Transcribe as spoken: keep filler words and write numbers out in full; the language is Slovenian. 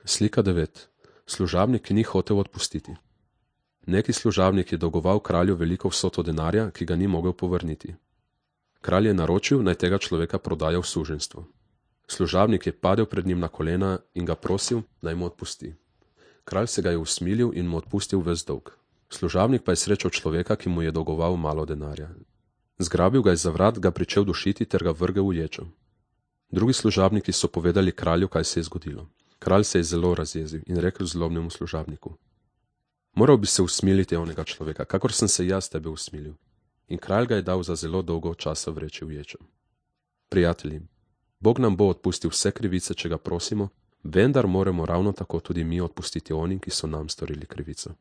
Slika devet. Služabnik, ki ni hotel odpustiti. Neki služabnik je dolgoval kralju veliko vsoto denarja, ki ga ni mogel povrniti. Kralj je naročil, naj tega človeka prodaja v suženjstvo. Služabnik je padel pred njim na kolena in ga prosil, naj mu odpusti. Kralj se ga je usmilil in mu odpustil ves dolg. Služabnik pa je srečal človeka, ki mu je dolgoval malo denarja. Zgrabil ga je za vrat, ga pričel dušiti ter ga vrgel v ječo. Drugi služabniki so povedali kralju, kaj se je zgodilo. Kralj se je zelo razjezil in rekel zlobnemu služabniku: Moral bi se usmiliti onega človeka, kakor sem se jaz tebe usmilil. In kralj ga je dal za zelo dolgo časa vreči v ječo. Prijatelji, Bog nam bo odpustil vse krivice, če ga prosimo, vendar moramo ravno tako tudi mi odpustiti onim, ki so nam storili krivico.